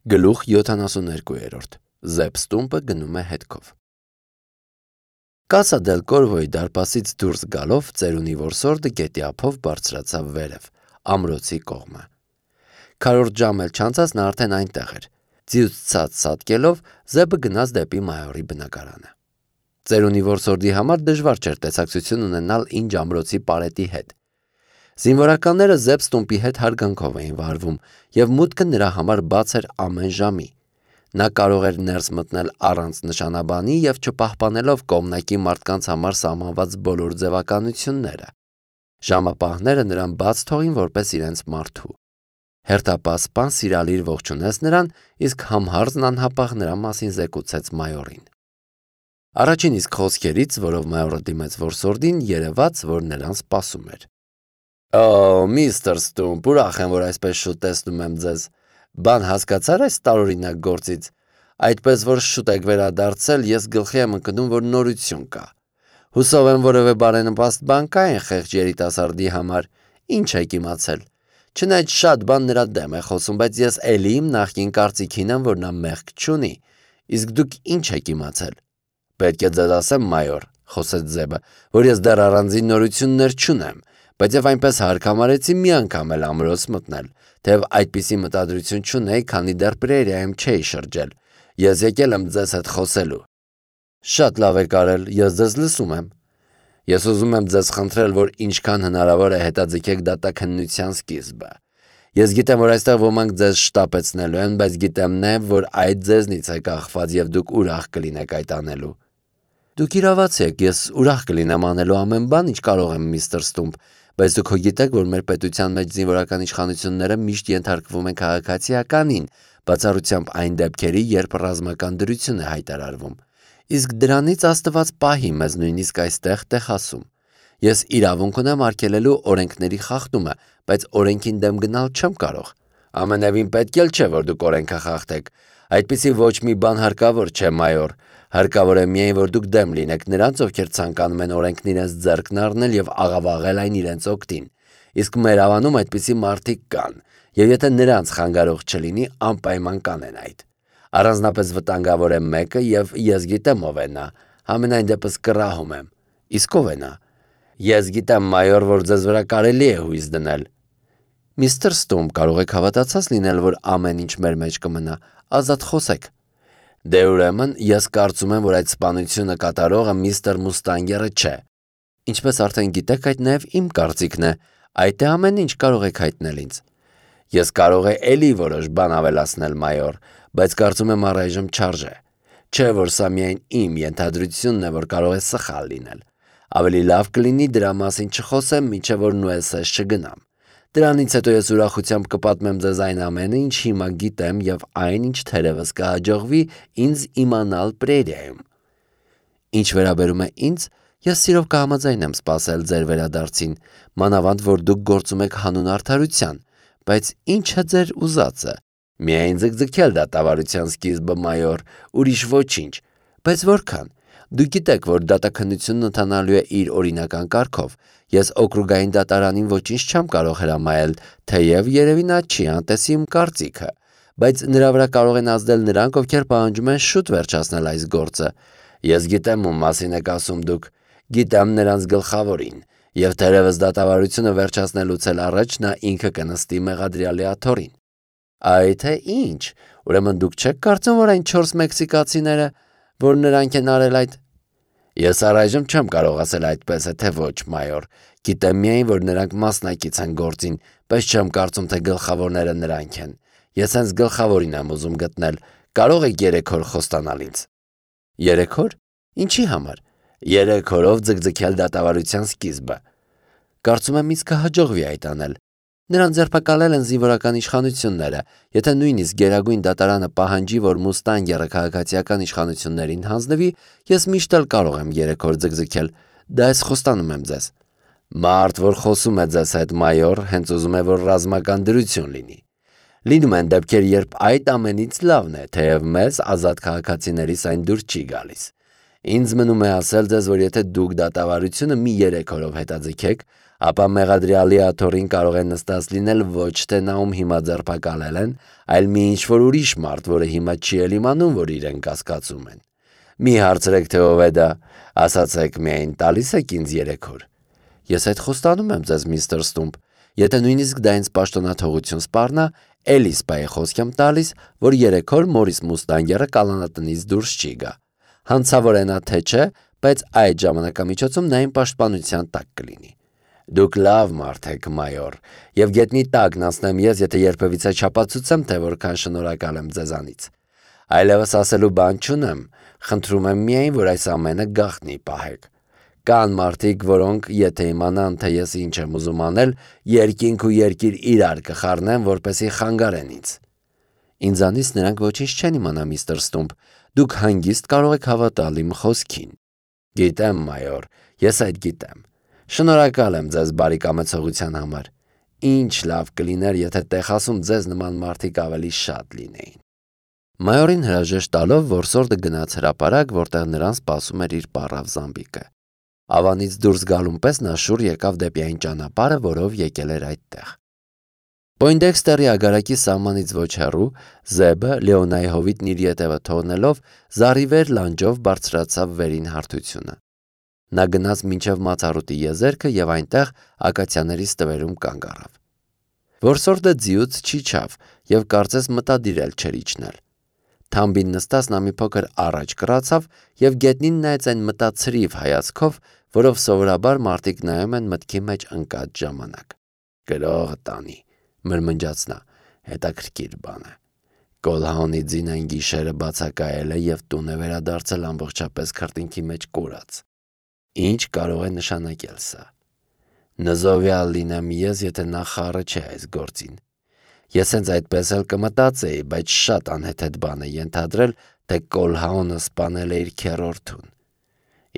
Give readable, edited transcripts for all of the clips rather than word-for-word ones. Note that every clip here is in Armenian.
Գլուխ 72 Զեպստումպը գնում է հետքով Կասա դել Կորվոյի դարպասից դուրս գալով ծերունի որսորդը գետի ափով բարձրացավ վերև, ամրոցի կողմը։ Քառորդ ժամ էլ չանցած նա արդեն այնտեղ էր։ Ձիուց ցած սատկելով Զեբը գնաց դեպի մայորի բնակարանը։ Ծերունի որսորդի համար դժվար չէր տեսակցություն ունենալ ինչ ամրոցի պարետի հետ։ Զինվորականները Զեպստումպի հետ հարգանքով էին վարվում, եւ մուտքը նրա համար բաց էր ամեն ժամի։ Նա կարող էր ներս մտնել առանց նշանաբանի եւ չպահպանելով կողմնակի մարդկանց համար սահմանված բոլոր ձևականությունները։ Ժամապահները նրան բաց թողին որպես իրենց մարդու։ Հերթապասպան սիրալիր ողջունեց նրան, իսկ համհարձն անհապաղ նրա մասին զեկուցեց մայորին։ Առաջին իսկ խոսքերից, որով մայորը դիմեց որսորդին, երևաց, որ նրան սպասում էր։ Միստր Ստումպ, ուրախ եմ, որ այսպես շուտ տեսնում եմ ձեզ։ Բան հասկացար այս տարօրինակ գործից։ Այդպես որ շուտ եք վերադարձել, ես գլխի եմ ընկնում, որ նորություն կա։ Հուսով եմ որևէ բարենպաստ բան կա այն խեղճ երիտասարդի համար։ Ինչ եք իմացել։ Չնայած շատ բան նրա դեմ է խոսում, բայց ես էլի իմ նախկին կարծիքին եմ, որ նա մեղք չունի։ Իսկ դուք ինչ եք իմացել։ Պետք է ձեզ ասեմ, մայոր, խոսեց Զեբը, որ ես դեռ առանձին նորություններ չունեմ, բայց եւ այնպես հարկ համարեցի մի անգամ էլ ամրոց մտնել, թեև այդպիսի մտադրություն չունեի, քանի դեռ պրերիայում չէի շրջել։ Ես եկել եմ ձեզ հետ խոսելու։ Շատ լավ եք արել, ես ձեզ լսում եմ։ Ես ուզում եմ ձեզ խնդրել, որ ինչքան հնարավոր է հետաձգեք դատաքննության սկիզբը։ Ես գիտեմ, որ այստեղ ոմանք ձեզ շտապեցնելու են, բայց գիտեմ նաև, որ այդ ձեզնից է կախված եւ դուք ուրախ կլինեք այդ անելու։ Դուք իրավացի եք, ես ուրախ կլինեմ անելու ամեն բան, ինչ կարող եմ, միստր Ստումպ, բայց դուք գիտեք, որ մեր պետության մեջ զինվորական իշխանությունները միշտ ենթարկվում են քաղաքացիականին, բացառությամբ այն դեպքերի, երբ ռազմական դրություն է հայտարարվում։ Իսկ դրանից Աստված պահի մեզ նույնիսկ այստեղ տեխասում։ Ես իրավունք ունեմ արգելելու օրենքների խախտումը, բայց օրենքին դեմ գնալ չեմ կարող։ Ամենևին պետք էլ չէ, որ դուք օրենքը խախտեք։ Այդպիսի ոչ մի բան հարկավոր չէ, մայոր։ Հարկավոր է միայն, որ դուք դեմ լինեք նրանց, ովքեր ցանկանում են օրենքն իրենց ձեռքն առնել եւ աղավաղել այն իրենց օգտին։ Իսկ մեր ավանում այդպիսի մարդիկ կան, եւ եթե նրանց խանգարող չլինի, անպայման կանեն այդ։ Առանձնապես վտանգավոր է մեկը, եւ ես գիտեմ ով է նա։ Համենայն դեպս կռահում եմ։ Իսկ ով է նա։ Ես գիտեմ, մայոր, որ ձեզ վրա կարելի է հույս դնել։ Միստր Ստումպ, կարող եք հավատացած լինել, որ ամեն ինչ մեր մեջ կմնա, ազատ խոսեք։ Դե ուրեմն, ես կարծում եմ, որ այդ սպանությունը կատարողը միստր Մուստանգերը չէ։ Ինչպես արդեն գիտեք, այդ նաև իմ կարծիքն է, այդ է ամեն ինչ կարող եք հայտնել ինձ։ Ես կարող եմ էլի որոշ բան ավելացնել, մայոր, բայց կարծում եմ առայժմ չարժե։ Չէ, որ սա միայն իմ ենթադրությունն է, որ կարող է սխալ լինել։ Ավելի լավ կլինի դրա մասին չխոսեմ, մինչև որ նույնպես չգնամ։ Դրանից հետո ես ուրախությամբ կպատմեմ ձեզ այն ամենը, ինչ հիմա գիտեմ եւ այն, ինչ թերևս կհաջողվի ինձ իմանալ պրերիայում։ Ինչ վերաբերում է ինձ, ես սիրով կհամաձայնեմ սպասել ձեր վերադարձին, մանավանդ որ դուք գործում եք հանուն արդարության, բայց ինչ է ձեր ուզածը։ Միայն ձգձգել դատավարության սկիզբը, մայոր, ուրիշ ոչինչ, բայց որքան։ Դուք գիտեք, որ դատաքննությունն ընթանալու է իր օրինական կարգով։ Ես օկրուգային դատարանին ոչինչ չեմ կարող հրամայել, թեև երևի նա չի անտեսի իմ կարծիքը, բայց նրա վրա կարող են ազդել նրանք, ովքեր պահանջում են շուտ վերջացնել այս գործը։ Ես գիտեմ ում մասին եք ասում դուք, գիտեմ նրանց գլխավորին, եւ թերևս դատավարությունը վերջացնելուց էլ առաջ նա ինքը կնստի մեղադրյալի աթոռին։ Այ թե ինչ, ուրեմն դուք չեք կարծում, որ այն 4 մեքսիկացիները, որ նրանք են արել այդ։ Ես առայժմ չեմ կարող ասել այդպես է, թե ոչ, մայոր։ Գիտեմ միայն, որ նրանք մասնակից են գործին, բայց չեմ կարծում, թե գլխավորները նրանք են։ Ես հենց գլխավորին եմ ուզում գտնել։ Կարող եք 3 օր խոստանալ ինձ։ 3 օր։ Ինչի համար։ 3 օրով ձգձգել դատավարության սկիզբը։ Կարծում եմ ինձ կհաջողվի այդ անել։ Նրան ձերբակալել են զինվորական իշխանությունները։ Եթե նույնիսկ Գերագույն դատարանը պահանջի, որ Մուստանգերը քաղաքացիական իշխանություններին հանձնվի, ես միշտ էլ կարող եմ 3 օր ձգձգել։ Դա ես խոստանում եմ ձեզ։ Մարդ, որ խոսում է ձեզ հետ, մայոր, հենց ուզում է, որ ռազմական դրություն լինի։ Լինում են դեպքեր, երբ այդ ամենից լավն է, թեև մեզ ազատ քաղաքացիներից այն դուր չի գալիս։ Ինձ մնում է ասել ձեզ, որ եթե դուք դատավարությունը մի 3 օրով հետաձգեք, ապա մեղադրյալի աթոռին կարող է նստած լինել ոչ թե նա, ում հիմա ձերբակալել են, այլ մի ինչ-որ ուրիշ մարդ, որը հիմա չի էլ իմանում, որ իրեն կասկածում են։ Մի հարցրեք, թե ով է դա, ասացեք միայն տալիս եք ինձ 3 օր։ Ես այդ խոստանում եմ ձեզ, միստր Ստումպ, եթե նույնիսկ դա ինձ պաշտոնաթողություն սպառնա, էլի սպայի խոսք եմ տալիս, որ 3 օր Մորիս Մուստանգերը կալանատնից դուրս չի գա։ Հանցավոր է նա թե չէ, բայց այդ ժամանակամիջոցում նա իմ պաշտպանության տակ կլինի։ Դուք լավ մարդ եք, մայոր, եւ գետնի տակն անցնեմ ես, եթե երբևիցե չապացուցեմ, թե որքան շնորհակալ եմ ձեզանից։ Այլևս ասելու բան չունեմ, խնդրում եմ միայն, որ այս ամենը գաղտնի պահեք։ Կան մարդիկ, որոնք, եթե իմանան, թե ես ինչ եմ ուզում անել, երկինք ու երկիր իրար կխառնեն, որպեսզի խանգարեն ինձ։ Ինձանից նրանք ոչինչ չեն իմանա, միստր Ստումպ, դուք հանգիստ կարող եք հավատալ իմ խոսքին։ Գիտեմ, մայոր, ես այդ գիտեմ։ Շնորհակալ եմ ձեզ բարեկամեցողության համար։ Ինչ լավ կլիներ, եթե Տեխասում ձեզ նման մարդիկ ավելի շատ լինեին։ Մայորին հրաժեշտ տալով որսորդը գնաց հրապարակ, որտեղ նրան սպասում էր իր պառավ Զամբիկը։ Ավանից դուրս գալուն պես նա շուռ եկավ դեպի այն ճանապարհը, որով եկել էր այդտեղ։ Պոյնդեքստերի ագարակի սահմանից ոչ հեռու Զեբը Լեոնայի հովիտն իր ետևը թողնելով զառիվեր լանջով բարձրացավ վերին հարթությունը։ Նա գնաց մինչև Մացառուտի եզերքը եւ այնտեղ ակացիաների ստվերում կանգ առավ։ Որսորդը ձիուց չիջավ եւ կարծես մտադիր էլ չէր իջնել։ Թամբին նստած նա մի փոքր առաջ կռացավ եւ գետնին նայեց այն մտածրիվ հայացքով, որով սովորաբար մարդիկ նայում են մտքի մեջ ընկած ժամանակ։ Գրողը տանի, մրմնջաց նա, հետաքրքիր բան է։ Կոլհաունի ձինային գիշերը բացակայել է եւ տուն է վերադարձել ամբողջապես քրտինքի մեջ կորած։ Ինչ կարող է նշանակել սա։ Նզովյալ լինեմ ես, եթե նա խառը չէ այս գործին։ Ես հենց այդպես էլ կմտածեի, բայց շատ անհեթեթ բան է ենթադրել, թե Կոլհաունը սպանել է իր քեռորդուն։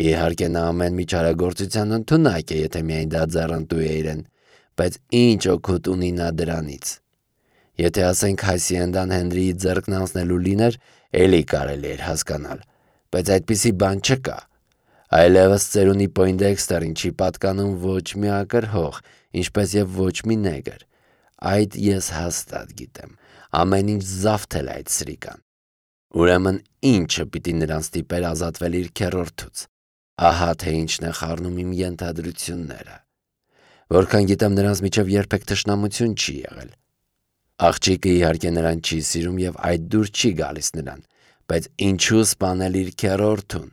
Իհարկե նա ամեն մի չարագործության ընդունակ է, եթե միայն դա ձեռնտու է իրեն, բայց ինչ օգուտ ունի նա դրանից։ Եթե ասենք Հասիենդան Հենրիի ձեռքն անցնելու լիներ, էլի կարելի էր հասկանալ, բայց այդպիսի բան չկա։ Այլևս ծերունի Պոյնդեքստերին չի պատկանում ոչ մի ակրհող, ինչպես եւ ոչ մի նեգր։ Այդ ես հաստատ գիտեմ, ամեն ինչ զավթել է այդ սրիկան։ Ուրեմն ինչը պիտի նրան ստիպեր ազատվել իր քեռորդուց։ Ահա թե ինչն է խառնում իմ ենթադրությունները։ Որքան գիտեմ, նրանց միջև երբեք թշնամություն չի եղել։ Աղջիկը իհարկե նրան չի սիրում եւ այդ դուր չի գալիս նրան, բայց ինչու սպանել իր քեռորդուն։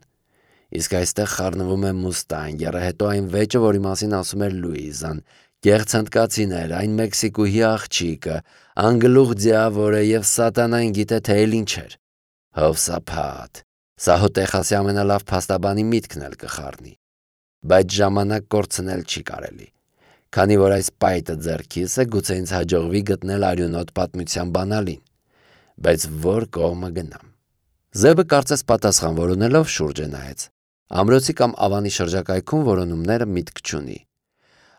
Իսկ այստեղ խառնվում է Մուստանգերը, հետո այն վեճը, որի մասին ասում էր Լուիզան, կեղծ հնդկացիներ, այն Մեքսիկուհի աղջիկը, անգլուղ ձիավորը եւ սատանան գիտե թե էլ ինչ էր։ Հովսափատ, սա հո Տեխասի ամենալավ փաստաբանի միտքն էլ կխառնի։ Բայց ժամանակ կորցնել չի կարելի։ Քանի որ այս պայտը ձեռքիս է, գուցե ինձ հաջողվի գտնել արյունոտ պատմության բանալին։ Բայց որ կողմը գնամ։ Զեբը կարծես պատասխան որոնելով շուրջը նայեց։ Ամրոցի կամ ավանի շրջակայքում որոնումները միտք չունի։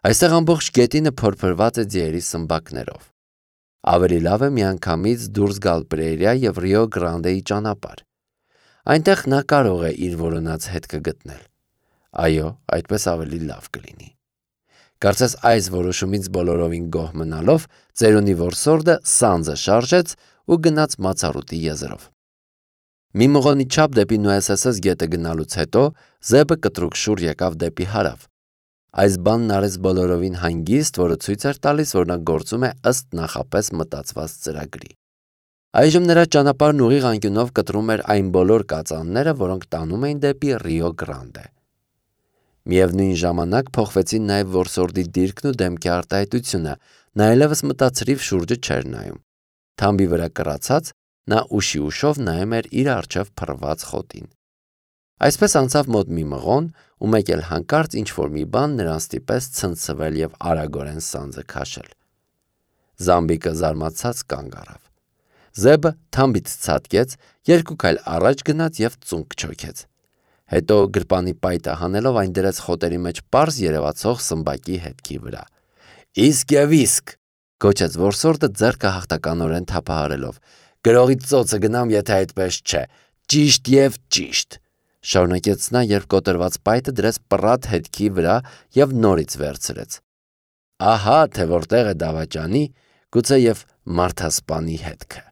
Այստեղ ամբողջ գետինը փորփրված է ձիերի սմբակներով։ Ավելի լավ է միանգամից դուրս գալ Պրերիա եւ Ռիո Գրանդեի ճանապարհ։ Այնտեղ նա կարող է իր որոնած հետքը գտնել։ Այո, այդպես ավելի լավ կլինի։ Կարծես այս որոշումից բոլորովին գոհ մնալով, ծերունի որսորդը սանձը շարժեց ու գնաց Մացառուտի եզրով։ Մի մղոնի չափ դեպի Նուեսեսես գետը գնալուց հետո Զեբը կտրուկ շուռ եկավ դեպի հարավ։ Այս բանն արեց բոլորովին հանգիստ, որը ցույց էր տալիս, որ նա գործում է ըստ նախապես մտածված ծրագրի։ Այժմ նրա ճանապարհն ուղիղ անկյունով կտրում էր այն բոլոր կածանները, որոնք տանում էին դեպի Ռիո Գրանդե։ Միևնույն ժամանակ փոխվեցին նաև որսորդի դիրքն ու դեմքի արտահայտությունը, նա այլևս մտածրիվ շուրջը չէր նայում։ Թամբի վրա կռացած, նա ուշի ուշով նայում էր իր առջև փռված խոտին։ Այսպես անցավ մոտ մի մղոն, ու մեկ էլ հանկարծ ինչ-որ մի բան նրան ստիպեց ցնցվել եւ արագորեն սանձը քաշել։ Զամբիկը զարմացած կանգ առավ։ Զեբը թամբից ցատկեց, երկու քայլ առաջ գնաց եւ ծունկ չոքեց։ Հետո գրպանի պայտը հանելով այն դրեց խոտերի մեջ պարզ երևացող սմբակի հետքի վրա։ Իսկ եւ իսկ, գոչեց որսորդը ձեռքը հաղթականորեն թափահարելով։ Գրողի ծոցը գնամ, եթե այդպես չէ։ Ճիշտ եւ ճիշտ։ շարունակեց նա, երբ կոտրված պայթը դրեց պռատ հետքի վրա և նորից վերցրեց։ Ահա թե որտեղ է դավաճանի, գուցե և մարդասպանի հետքը։